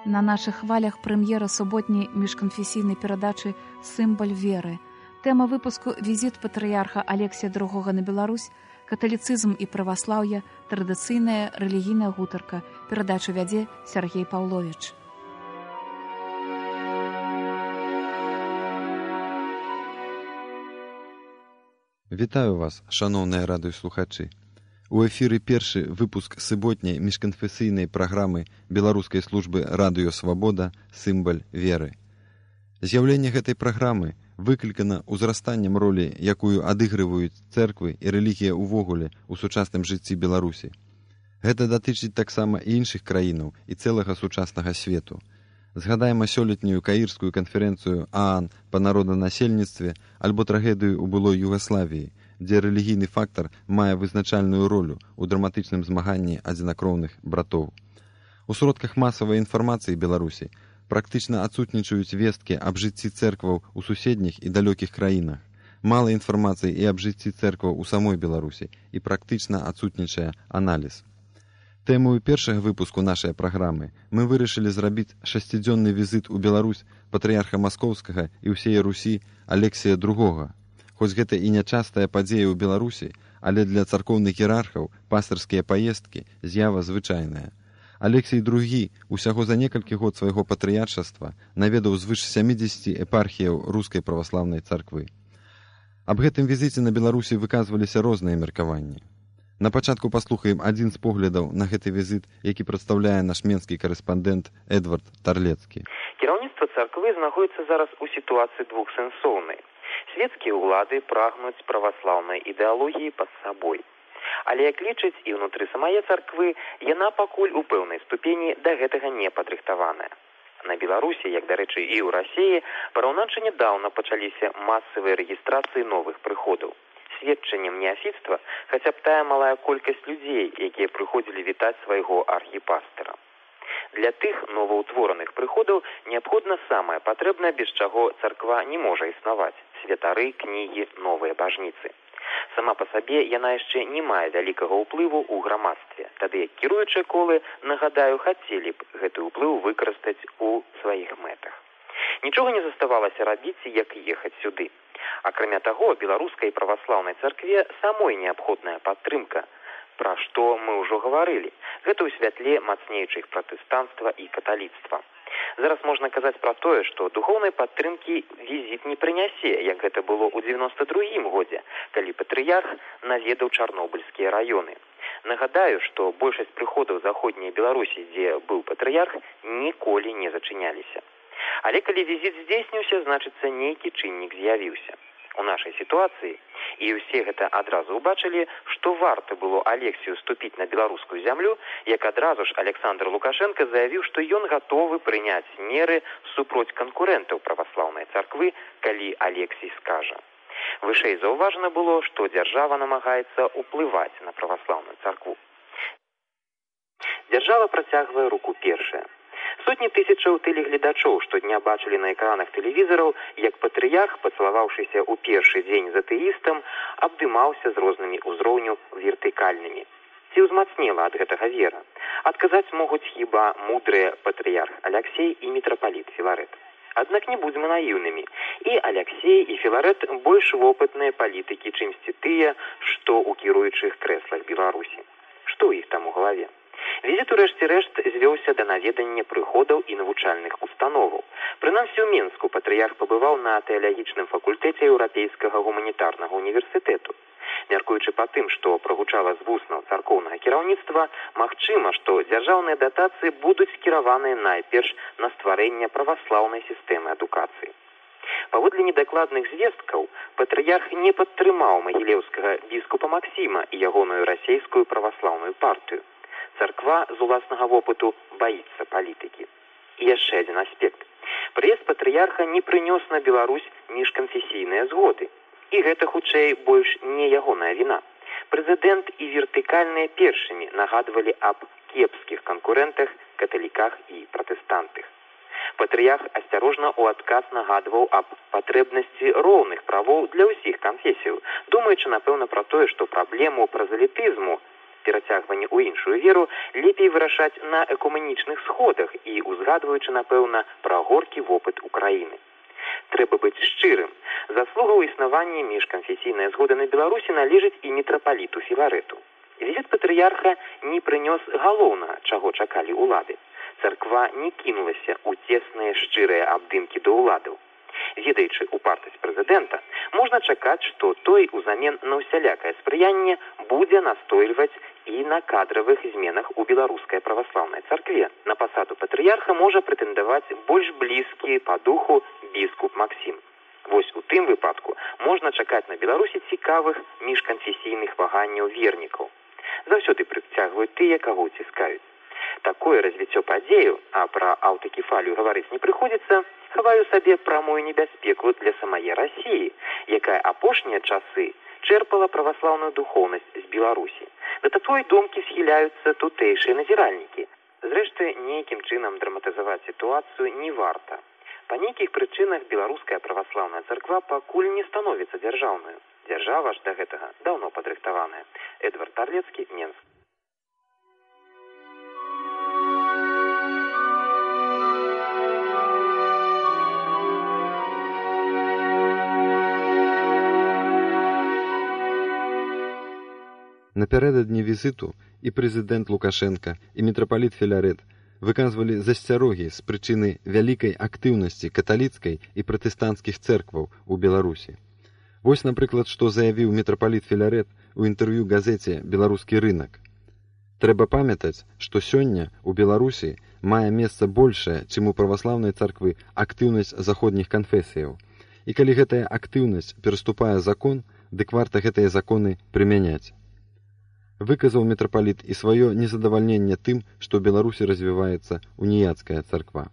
На наших хвалях прэм'ера суботняй міжканфесійнай перадачы «Сімбаль веры». Тэма выпуску «Візіт патрыярха Алексія II на Беларусь», каталіцызм і праваслаўе, традыцыйная рэлігійная гутарка. Перадачу вядзе Сергей Паўловіч. Вітаю вас, шаноўныя радыёслухачы. У эфіры першы выпуск суботняй міжканфесійнай праграмы беларускай службы радыё «Свабода» «Сімбаль веры». З'яўленне гэтай праграмы выклікана ўзрастаннем ролі, якую адыгрываюць цэрквы і рэлігія ўвогуле ў сучасным жыцці Беларусі. Гэта датычыць таксама і іншых краінаў і цэлага сучаснага свету. Згадаем сёлетнюю каірскую канферэнцыю ААН па народанасельніцтве альбо трагедыю ў былой Югаславіі, дзе рэлігійны фактар мае вызначальную ролю ў драматычным змаганні адзінакроўных братоў. У сродках масавай інфармацыі Беларусі практычна адсутнічаюць весткі аб жыцці цэркваў у суседніх і далёкіх краінах. Мала інфармацыі і аб жыцці цэркваў у самой Беларусі і практычна адсутнічае аналіз. Тэмою першага выпуску нашай праграмы мы вырашылі зрабіць 6-дзённы візіт у Беларусь патрыярха Маскоўскага і ўсей Русі Алексія II. Хоць гэта і нячастая падзея ў Беларусі, але для царкоўных іерархаў пастырскія паездкі з'ява звычайная. Алексій II усяго за некалькі год свайго патрыяршаства наведаў звыш 70 епархіяў рускай праваслаўнай царквы. Аб гэтым візіце на Беларусі выказваліся розныя меркаванні. На пачатку паслухаем адзін з поглядаў на гэты візіт, які прадстаўляе наш менскі карэспандэнт Эдвард Тарлецкі. Кіраўніцтва царквы знаходзіцца зараз у сітуацыі двухсэнсоўнай. Свецкія ўлады прагнуць праваслаўнай ідэалогіі пад сабой. Але, як лічаць і ўнутры самае царквы, яна пакуль у пэўнай ступені да гэтага не падрыхтаваная. На Беларусі, як, дарэчы, і ў Расіі, параўнача нядаўна пачаліся масавыя рэгістрацыі новых прыходаў. Сведчаннем неафіцтва хаця б тая малая колькасць людзей, якія прыходзілі вітаць свайго архіпастыра. Для тых новаўтвораных прыходаў неабходна самае патрэбнае, без чаго царква не можа існаваць – святары, кнігі, новыя бажніцы. Сама па сабе яна яшчэ не мае вялікага ўплыву ў грамадстве, тады як кіруючыя колы, нагадаю, хацелі б гэты ўплыў выкарыстаць у сваіх мэтах. Нічога не заставалася рабіць, як ехаць сюды. Акрамя таго, беларускай праваслаўнай царкве самой неабходная падтрымка, пра што мы ўжо гаварылі. Гэта ў святле мацнейшых пратэстанцтва і каталіцтва. Зараз можна казаць пра тое, што духоўнай падтрымкі візіт не прынясе, як гэта было ў 92-м годзе, калі патрыярх наведаў чарнобыльскія раёны. Нагадаю, што большасць прыходаў заходняй Беларусі, дзе быў патрыярх, ніколі не зачыняліся. Але калі візіт здзейсніўся, значыцца, нейкі чыннік з'явіўся. У нашай сітуацыі, і ўсе гэта адразу ўбачылі, што варта было Алексію ступіць на беларускую зямлю, як адразу ж Александр Лукашенко заявіў, што ён гатовы прыняць меры супроць канкурэнтаў праваслаўнай царквы, калі Алексій скажа. Вышэй заўважана было, што дзяржава намагаецца ўплываць на праваслаўную царкву. Дзяржава працягвае руку першая. Сотні тысячаў тэлегледачоў штодня бачылі на экранах тэлевізараў, як патрыярх, пацалаваўшыся ў першы дзень з атэістам, абдымаўся з рознымі ўзроўню вертыкальнымі. Ці ўзмацнела ад гэтага вера? Адказаць могуць хіба мудрыя патрыярх Аляксей і мітрапаліт Філарэт. Аднак не будзем наіўнымі. І Аляксей, і Філарэт больш вопытныя палітыкі, чымсьці тыя, што ў кіруючых крэслах Беларусі. Што ў іх там у галаве? Візіт у рэшце-рэшт звёўся да наведання прыходаў і навучальных установаў. Прынамсі ў Мінску патрыярх пабываў на тэалагічным факультэце Еўрапейскага гуманітарнага універсітэту. Мяркуючы па тым, што прагучала з вуснаў царкоўнага кіраўніцтва, магчыма, што дзяржаўныя датацыі будуць скіраваныя найперш на стварэнне праваслаўнай сістэмы адукацыі. Паводле недакладных звесткаў, патрыярх не падтрымаў магілеўскага біскупа Максіма і ягоную расейскую праваслаўную партыю. Царква з уласнага вопыту баіцца палітыкі. І яшчэ адзін аспект. Прыезд патрыярха не прынёс на Беларусь міжканфесійныя згоды. І гэта, хутчэй, больш не ягоная віна. Прэзідэнт і вертыкальныя першымі нагадвалі аб кепскіх канкурэнтах, каталіках і пратэстантах. Патрыярх асцярожна ў адказ нагадваў аб патрэбнасці роўных правоў для ўсіх канфесіяў, думаючы, напэўна, пра тое, што праблему празелітызму перацягванне ў іншую веру лепей вырашаць на экуменічных сходах і узгадваючы, напэўна, пра горкі вопыт Украіны. Трэба быць шчырым. Заслуга ў існаванні міжканфесійнай згоды на Беларусі належыць і мітрапаліту Філарэту. Візіт патрыярха не прынёс галоўнага, чаго чакалі ўлады. Царква не кінулася ў цесныя шчырыя абдымкі да ўладаў. Ведаючы упартасць прэзідэнта, можна чакаць, што той узамен на ўсялякае спрыянне будзе настойліваць і на кадравых зменах у беларускай праваслаўнай царкве. На пасаду патрыярха можа прэтэндаваць больш блізкі па духу біскуп Максім. Вось у тым выпадку можна чакаць на Беларусі цікавых міжканфесійных ваганняў вернікаў. Заўсёды прыцягваюць тыя, каго ўціскаюць. Такое развіццё падзею, а пра аўтакефалію гаварыць не прыходзіцца, хаваю сабе прамую небяспеку для самае Расіі, якая апошнія часы чэрпала праваслаўную духоўнасць з Беларусі. Да такой думкі схіляюцца тутэйшыя назіральнікі. Зрэшты, нейкім чынам драматызаваць сітуацыю не варта. Па нейкіх прычынах беларуская праваслаўная царква пакуль не становіцца дзяржаўнаю. Дзяржава ж да гэтага даўно падрыхтаваная. Эдвард Тарлецкі, Менск. Напярэдадні візіту і прэзідэнт Лукашенка, і мітрапаліт Філарэт выказвалі засцярогі з прычыны вялікай актыўнасці каталіцкай і пратэстанцкіх цэркваў у Беларусі. Вось, напрыклад, што заявіў мітрапаліт Філарэт у інтэрв'ю газеце «Беларускі рынак». Трэба памятаць, што сёння ў Беларусі мае месца большая, чым у праваслаўнай царквы, актыўнасць заходніх канфесіяў. І калі гэтая актыўнасць пераступае закон, дык варта гэтыя законы прымяняць. Выказаў мітрапаліт і сваё незадавальненне тым, што ў Беларусі развіваецца уніяцкая царква.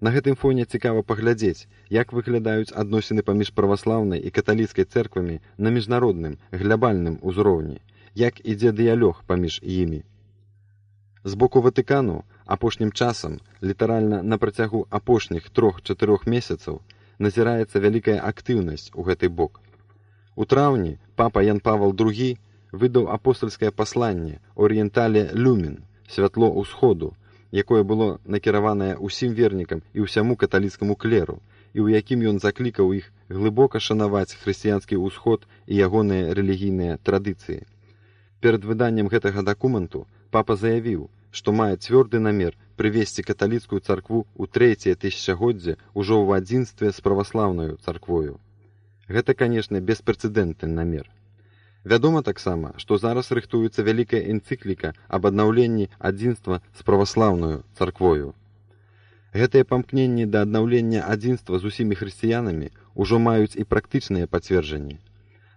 На гэтым фоне цікава паглядзець, як выглядаюць адносіны паміж праваслаўнай і каталіцкай цэрквамі на міжнародным, глябальным узроўні, як ідзе дыялог паміж імі. З боку Ватыкану апошнім часам, літаральна на працягу апошніх 3-4 месяцаў, назіраецца вялікая актыўнасць у гэты бок. У траўні папа Ян Павел II выдаў апостальскае пасланне «Орієнтале люмен» – «Святло ўсходу», якое было накіраванае ўсім вернікам і ўсяму каталіцкаму клеру, і ў якім ён заклікаў іх глыбока шанаваць хрысціянскі ўсход і ягоныя рэлігійныя традыцыі. Перад выданнем гэтага дакументу папа заявіў, што мае цвёрды намер прывесці каталіцкую царкву ў 3-е тысячагоддзе ўжо ў адзінстве з праваслаўнаю царквою. Гэта, канешне, беспрэцэдэнтны намер. Вядома таксама, што зараз рыхтуецца вялікая энцыкліка аб аднаўленні адзінства з праваслаўнаю царквою. Гэтыя памкненні да аднаўлення адзінства з усімі хрысціянамі ўжо маюць і практычныя пацверджанні.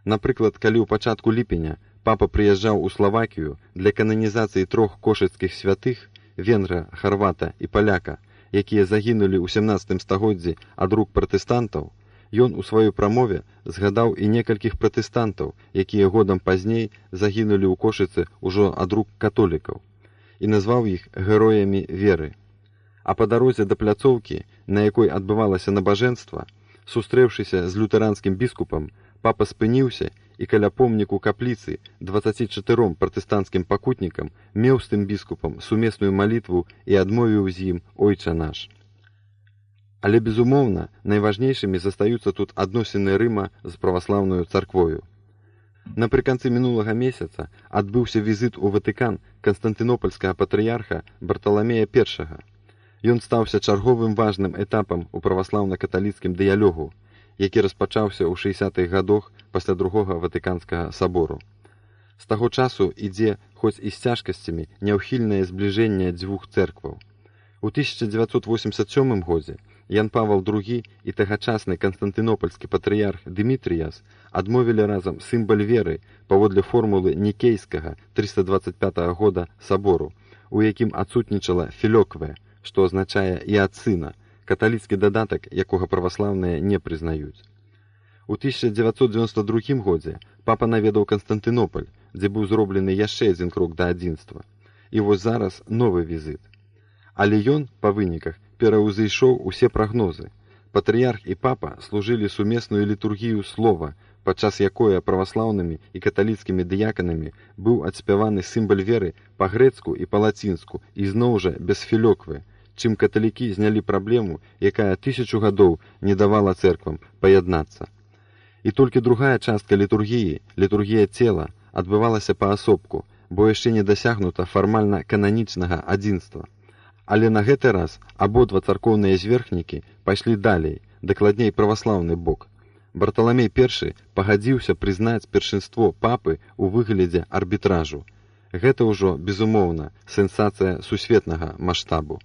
Напрыклад, калі ў пачатку ліпеня папа прыязджаў у Славакію для кананізацыі 3 кошыцкіх святых, венгра, харвата і паляка, якія загінулі ў 17 стагоддзі ад рук пратэстантаў, ён у сваёй прамове згадаў і некалькіх пратэстантаў, якія годам пазней загінулі ў Кошыцы ўжо ад рук католікаў, і назваў іх героямі веры. А па дарозе да пляцоўкі, на якой адбывалася набажэнства, сустрэўшыся з лютэранскім біскупам, папа спыніўся і каля помніку капліцы 24 пратэстанцкім пакутнікам меў з тым біскупам сумесную малітву і адмовіў з ім «Ойча наш». Але, безумоўна, найважнейшымі застаюцца тут адносіны Рыма з праваслаўнаю царквою. Напрыканцы мінулага месяца адбыўся візіт у Ватыкан канстантынопольскага патрыярха Барталамея I. Ён стаўся чарговым важным этапам у праваслаўна-каталіцкім дыялогу, які распачаўся ў 60-х гадах пасля Другога Ватыканскага сабору. З таго часу ідзе, хоць і з цяжкасцямі, няўхільнае збліжэнне дзвюх цэркваў. У 1987 годзе Ян Павел II і тагачасны канстантынопольскі патрыярх Дмітрыяс адмовілі разам сімбаль веры паводле формулы Нікейскага 325 года сабору, у якім адсутнічала філёкве, што азначае і ад сына, каталіцкі дадатак, якога праваслаўныя не прызнаюць. У 1992 годзе папа наведаў Канстантынополь, дзе быў зроблены яшчэ адзін крок да адзінства. І вось зараз новы візіт. Але ён, па выніках, пераўзышоў усе прагнозы. Патрыярх і папа служылі сумесную літургію слова, падчас якое праваслаўнымі і каталіцкімі дыяканамі быў адспяваны сімбаль веры па-грэцку і па-лацінску і зноў жа без філёквы, чым каталікі знялі праблему, якая 1000 гадоў не давала цэрквам паяднацца. І толькі другая частка літургіі, літургія цела, адбывалася паасобку, бо яшчэ не дасягнута фармальна кананічнага адзінства. Але на гэты раз абодва царкоўныя зверхнікі пайшлі далей, дакладней праваслаўны бок. Барталамей I пагадзіўся прызнаць першынство папы ў выглядзе арбітражу. Гэта ўжо, безумоўна, сенсацыя сусветнага маштабу.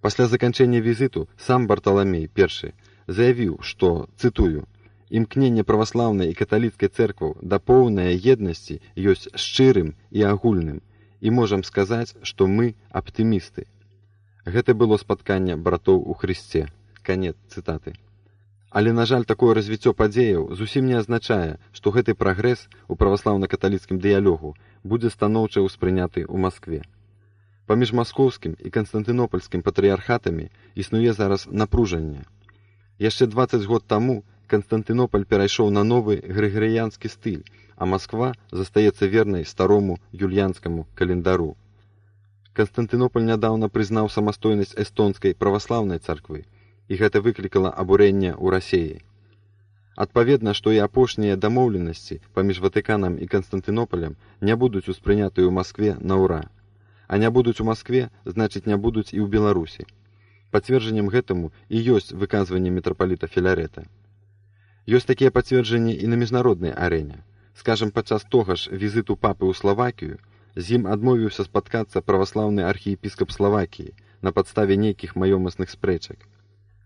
Пасля заканчэння візіту сам Барталамей I заявіў, што, цытую, «Імкненне праваслаўнай і каталіцкай цэркваў да поўнай еднасці ёсць шчырым і агульным, і можам сказаць, што мы аптымісты». Гэта было спатканне братоў у Хрысце. Канец цытаты. Але, на жаль, такое развіццё падзеяў зусім не азначае, што гэты прагрэс у праваслаўна-каталіцкім дыялогу будзе станоўча ўспрыняты ў Маскве. Паміж маскоўскім і канстантынопольскім патрыярхатамі існуе зараз напружанне. Яшчэ 20 год таму Канстантынополь перайшоў на новы грыгарыянскі стыль, а Масква застаецца вернай старому юліянскаму календару. Канстантынополь нядаўна прызнаў самастойнасць эстонскай праваслаўнай царквы, і гэта выклікала абурэнне ў Расеі. Адпаведна, што і апошнія дамоўленасці паміж Ватыканам і Канстантынополем не будуць успрынятыя ў Маскве на ўра. А не будуць у Маскве, значыць, не будуць і ў Беларусі. Пацверджаннем гэтаму і ёсць выказванне мітрапаліта Філарета. Ёсць такія пацверджанні і на міжнароднай арэне. Скажам, падчас того ж візіту папы ў Славакію з ім адмовіўся спаткацца праваслаўны архіепіскап Славакіі на падставе нейкіх маёмасных спрэчак.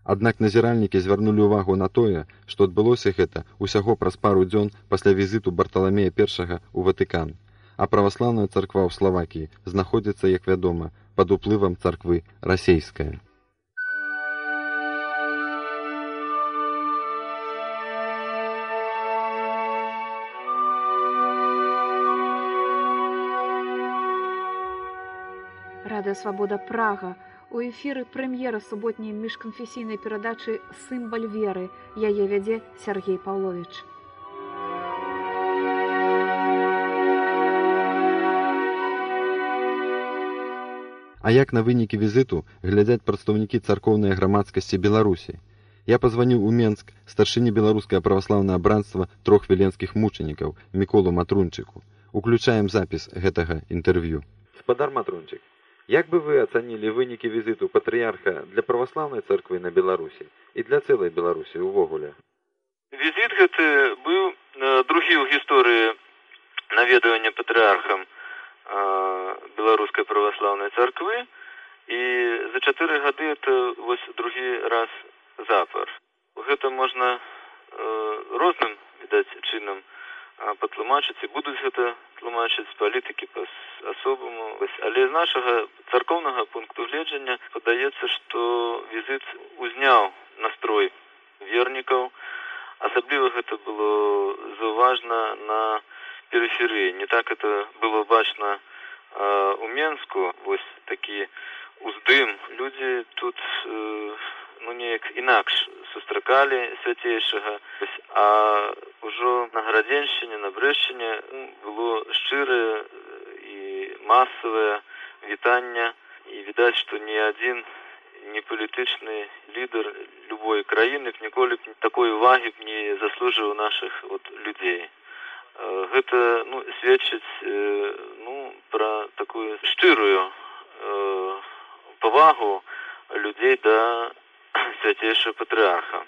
Аднак назіральнікі звярнулі ўвагу на тое, што адбылося гэта ўсяго праз пару дзён пасля візіту Барталамея I ў Ватыкан, а праваслаўная царква ў Славакіі знаходзіцца, як вядома, пад уплывам царквы расейская. Радыё Свабода Прага. У эфіры прэм'ера суботняй міжканфесійнай перадачы «Сімбаль веры». Яе вядзе Сергей Паўловіч. А як на вынікі візіту глядзяць прадстаўнікі царкоўнай грамадскасці Беларусі? Я пазваніў у Менск старшыні беларускае праваслаўнае бранства 3 віленскіх мучанікаў Міколу Матрунчыку. Уключаем запіс гэтага інтэрв'ю. Спадар Матрунчык, як бы вы ацанілі вынікі візіту патрыярха для праваслаўнай царквы на Беларусі і для цэлай Беларусі ўвогуле? Візіт гэты быў другі ў гісторыі наведвання патрыярхам беларускай праваслаўнай царквы, і за 4 гады это вось другі раз запар. Гэта можна розным, відаць, чынам патлумачыць, і будуць гэта тлумачыць палітыкі па-асобаму. Але з нашага царкоўнага пункту гледжання падаецца, што візіт узняў настрой вернікаў. Асабліва гэта было заўважна на перыферыі. Не так это было бачна у Менску. Вось такі уздым. Людзі тут неяк інакш сустракалі свяцейшага, а ўжо на Градзеншчыне, на Брэшчыне было шчырае і масавае вітанне, і відаць, што ні адзін не палітычны лідар любой краіны ніколі б такой увагі б не заслужыў нашых людзей. Гэта сведчыць пра такую шчырую павагу людзей да свяцейшага патрыарха.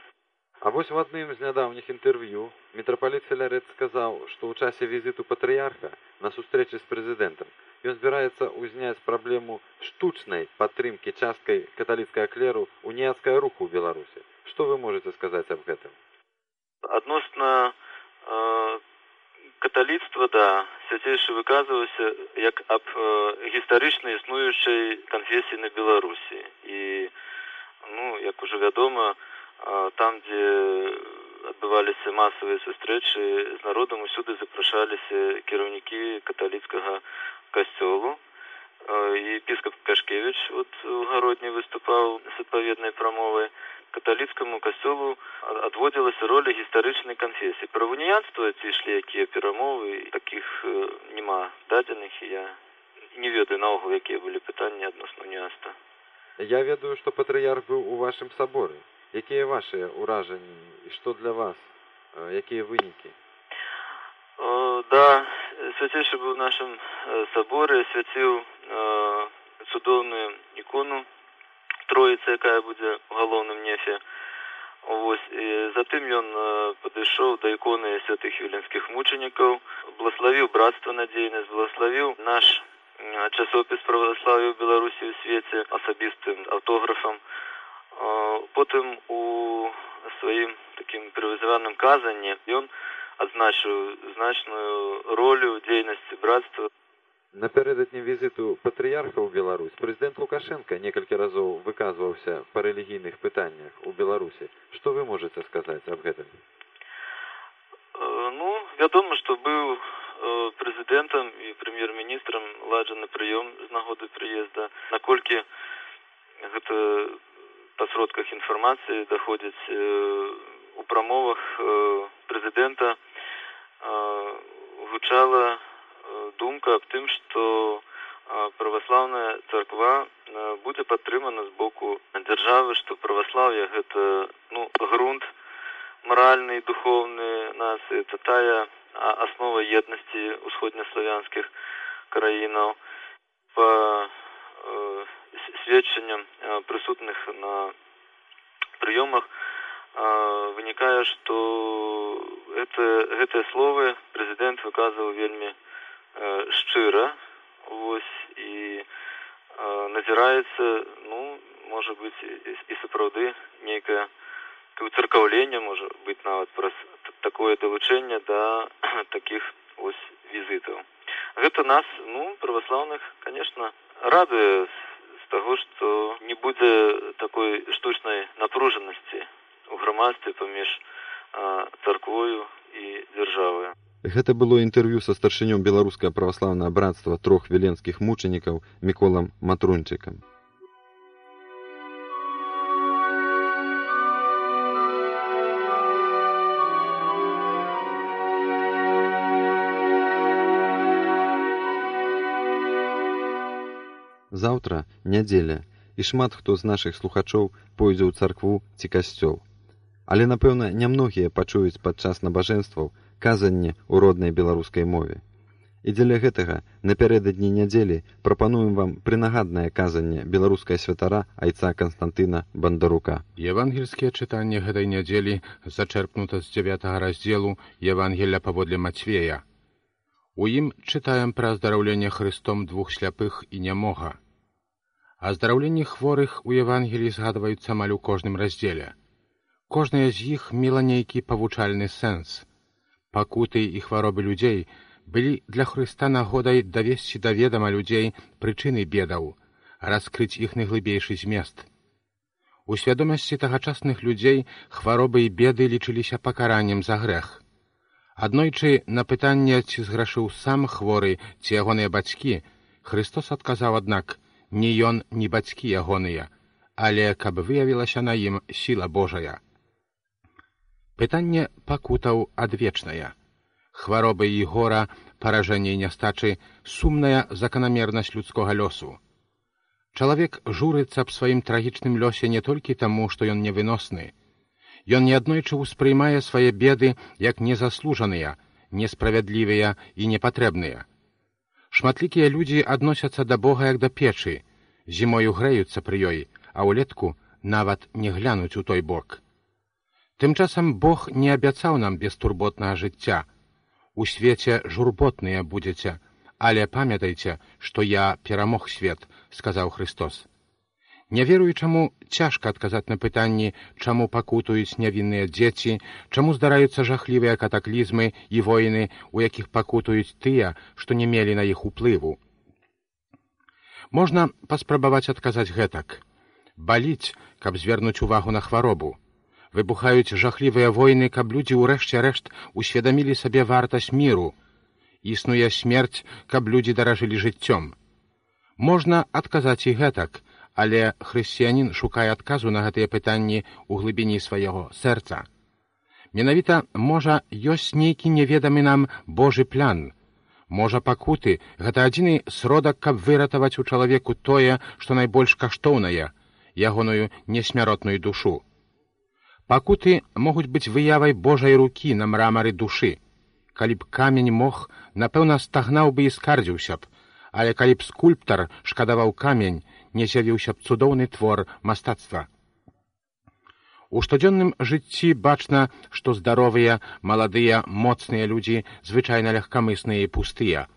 А вось в адным з нядаўніх інтэрв'ю мітрапаліт Філарет сказаў, што ў часе візіту патрыярха на сустрэчы з прэзідэнтам ён збіраецца ўзняць праблему штучнай падтрымкі часткай каталіцкага клеру уніяцкага руху ў Беларусі. Што вы можаце сказаць аб гэтым? Адносна каталіцтва, да, свяцейшы выказваўся як аб гістарычна існуючай канфесіі на Беларусі. І як ужо вядома, там, дзе адбываліся масавыя сустрэчы з народам, усюды запрашаліся кіраўнікі каталіцкага касцёлу. Епіскап Кашкевіч у Гародні выступаў з адпаведнай прамовай. каталіцкаму касцёлу адводзілася роля гістарычнай канфесіі. Пра уніянства ці ішлі якія перамовы, такіх няма дадзеных, і я не ведаю наогул, якія былі пытанні адносна уніянства. Я ведаю, што патрыярх быў у вашым саборы. Якія вашыя ўражанні і што для вас? Якія вынікі? Да, свяцейшы быў у нашым саборы, свяціў цудоўную ікону Троіцы, якая будзе ў галоўным нефе. Затым ён падышоў да іконы святых віленскіх мучанікаў, благаславіў брацтва надзейнасць, благаславіў наш часопіс праваслаўя ў Беларусі ў свеце асабістым аўтографам. Потым у сваім такім прывызаваным казанні ён адзначыў значную ролю дзейнасці брацтва. Напярэдадні візіту патрыярха ў Беларусь прэзідэнт Лукашенка некалькі разоў выказваўся па рэлігійных пытаннях у Беларусі. Што вы можаце сказаць аб гэтым? Вядома, што быў прэзідэнтам і прэм'ер-міністрам ладжаны прыём з нагоды прыезда. Наколькі гэта па сродках інфармацыі даходзіць у прамовах прэзідэнта гучала думка аб тым, што праваслаўная царква будзе падтрымана з боку дзяржавы, што праваслаўе гэта грунт маральны і духоўны нацыі, это тая аснова еднасці усходнеславянскіх краінаў. Па сведчанням прысутных на прыёмах вынікае, што гэтыя словы прэзідэнт выказваў вельмі шчыра, і назіраецца, можа быць, і сапраўды нейкае уцыркаўленне, можа быць нават праз такое далучэнне да такіх візітаў. Гэта нас, праваслаўных, конечно, радуе з таго, што не будзе такой штучнай напружанасці ў грамадстве паміж царквою і дзяржавою. Гэта было інтэрв'ю са старшынём беларускага праваслаўнага брацтва трох віленскіх мучанікаў Міколам Матрунчыкам. Заўтра нядзеля, і шмат хто з нашых слухачоў пойдзе ў царкву ці касцёл. Але, напэўна, нямногія пачуюць падчас набажэнстваў казанне ў роднай беларускай мове. І дзеля гэтага напярэдадні нядзелі прапануем вам прынагаднае казанне беларускай святара айца Канстантына Бандарука. Евангельскія чытанні гэтай нядзелі зачэрпнута з 9 раздзелу Евангелля паводле Мацвея. У ім чытаем пра аздараўленне Хрыстом двух сляпых і нямога. Аздараўленні хворых у Евангеліі згадваюцца амаль у кожным раздзеле. Кожная з іх мела нейкі павучальны сэнс. Пакуты і хваробы людзей былі для Хрыста нагодай давесці да ведама людзей прычыны бедаў, раскрыць іх найглыбейшы змест. У свядомасці тагачасных людзей хваробы і беды лічыліся пакараннем за грэх. Аднойчы на пытанне, ці зграшыў сам хворы, ці ягоныя бацькі, Хрыстос адказаў, аднак, ні ён, ні бацькі ягоныя, але каб выявілася на ім сіла Божая. Пытанне пакутаў адвечнае. Хваробы і гора, паражэнне і нястачы, сумная заканамернасць людскога лёсу. Чалавек журыцца аб сваім трагічным лёсе не толькі таму, што ён невыносны. Ён неаднойчы ўспрымае свае беды як незаслужаныя, несправядлівыя і непатрэбныя. Шматлікія людзі адносяцца да Бога як да печы, зімою грэюцца пры ёй, а ўлетку нават не глянуць у той бок. Тым часам Бог не абяцаў нам бестурботнага жыцця. У свеце журботныя будзеце, але памятайце, што я перамог свет, сказаў Христос. Няверуючаму цяжка адказаць на пытанні, чаму пакутуюць нявінныя дзеці, чаму здараюцца жахлівыя катаклізмы і войны, у якіх пакутуюць тыя, што не мелі на іх уплыву. Можна паспрабаваць адказаць гэтак. Баліць, каб звернуць увагу на хваробу. Выбухаюць жахлівыя войны, каб людзі ўрэшце рэшт усведамілі сабе вартасць міру. Існуе смерць, каб людзі даражылі жыццём. Можна адказаць і гэтак, але хрысціянін шукае адказу на гэтыя пытанні ў глыбіні свайго сэрца. Менавіта, можа, ёсць нейкі неведамы нам Божы план. Можа, пакуты — гэта адзіны сродак, каб выратаваць у чалавеку тое, што найбольш каштоўнае, ягоную несмяротную душу. Пакуты могуць быць выявай Божай рукі на мрамары душы. Калі б камень мог, напэўна, стагнаў бы і скардзіўся б, але калі б скульптар шкадаваў камень, не з'явіўся б цудоўны твор мастацтва. У штодзённым жыцці бачна, што здаровыя, маладыя, моцныя людзі звычайна легкамысныя і пустыя.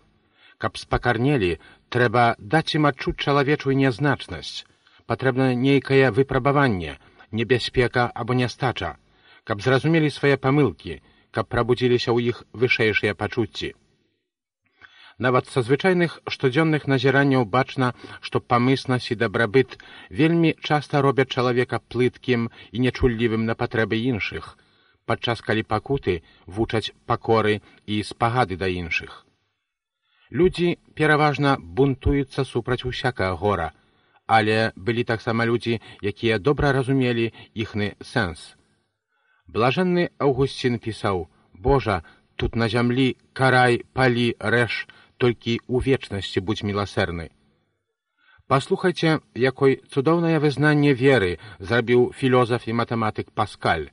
Каб спакарнелі, трэба даць ім адчуць чалавечую нязначнасць. Патрэбна нейкае выпрабаванне, небяспека або нястача, каб зразумелі свае памылкі, каб прабудзіліся ў іх вышэйшыя пачуцці. Нават са звычайных штодзённых назіранняў бачна, што памыснасць і дабрабыт вельмі часта робяць чалавека плыткім і нечуллівым на патрэбы іншых, падчас калі пакуты вучаць пакоры і спагады да іншых. Людзі пераважна бунтуюцца супраць усякага гора, але былі таксама людзі, якія добра разумелі іхны сэнс. Блажэнны Аўгусцін пісаў: «Божа, тут на зямлі карай, палі, рэж, толькі ў вечнасці будзь міласэрны». Паслухайце, якой цудоўнае вызнанне веры зрабіў філозаф і матэматык Паскаль.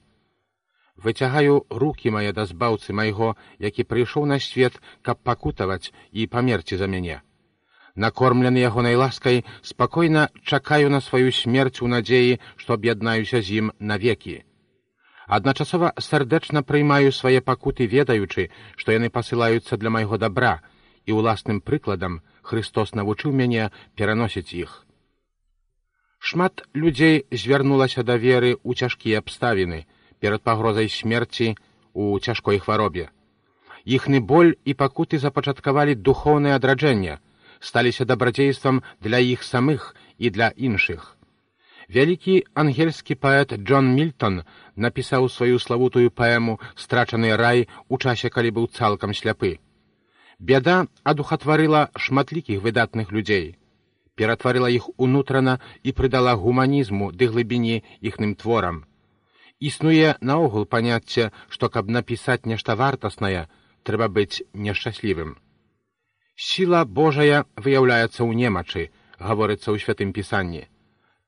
«Выцягаю рукі мае да збаўцы майго, які прыйшоў на свет, каб пакутаваць і памерці за мяне. Накормлены ягонай ласкай, спакойна чакаю на сваю смерць у надзеі, што аб'яднаюся з ім навекі. Адначасова сардэчна прыймаю свае пакуты, ведаючы, што яны пасылаюцца для майго дабра, і ўласным прыкладам Христос навучыў мяне пераносіць іх». Шмат людзей звярнулася да веры ў цяжкія абставіны, перад пагрозай смерці ў цяжкой хваробе. Іхны боль і пакуты запачаткавалі духоўнае адраджэнне, сталіся дабрадзействам для іх самых і для іншых. Вялікі ангельскі паэт Джон Мільтон напісаў сваю славутую паэму «Страчаны рай» у часе, калі быў цалкам сляпы. Бяда адухатварыла шматлікіх выдатных людзей, ператварыла іх унутрана і прыдала гуманізму ды глыбіні іхным творам. Існуе наогул паняцце, што каб напісаць нешта вартаснае, трэба быць нешчаслівым. Сіла Божая выяўляецца ў немачы, гаворыцца ў Святым Пісанні.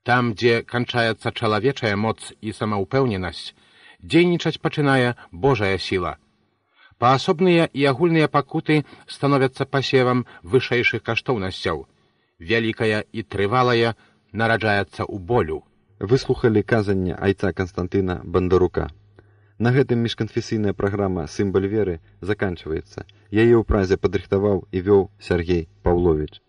Там, дзе канчаецца чалавечая моц і самаўпэўненасць, дзейнічаць пачынае Божая сіла. Паасобныя і агульныя пакуты становяцца пасевам вышэйшых каштоўнасцяў. Вялікая і трывалая нараджаецца ў болю. Выслухалі казанне айца Канстантына Бандарука. На гэтым міжканфесійная праграма «Сымбаль веры» заканчваецца. Яе ў празе падрыхтаваў і вёў Сяргей Паўловіч.